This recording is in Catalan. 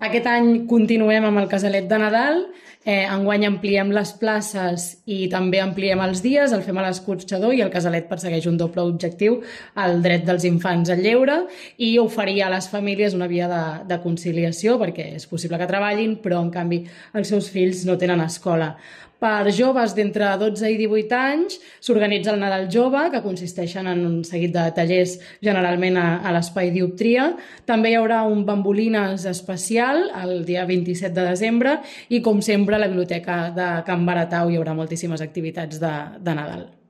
Aquest any continuem amb el casalet de Nadal, enguany ampliem les places i també ampliem els dies, el fem a l'escorxador i el casalet persegueix un doble objectiu, el dret dels infants al lleure i oferir a les famílies una via de conciliació perquè és possible que treballin però en canvi els seus fills no tenen escola. Per joves d'entre 12 i 18 anys s'organitza el Nadal Jove, que consisteixen en un seguit de tallers generalment a l'Espai Dioptria. També hi haurà un bambolines especial el dia 27 de desembre i, com sempre, a la Biblioteca de Can Baratau hi haurà moltíssimes activitats de Nadal.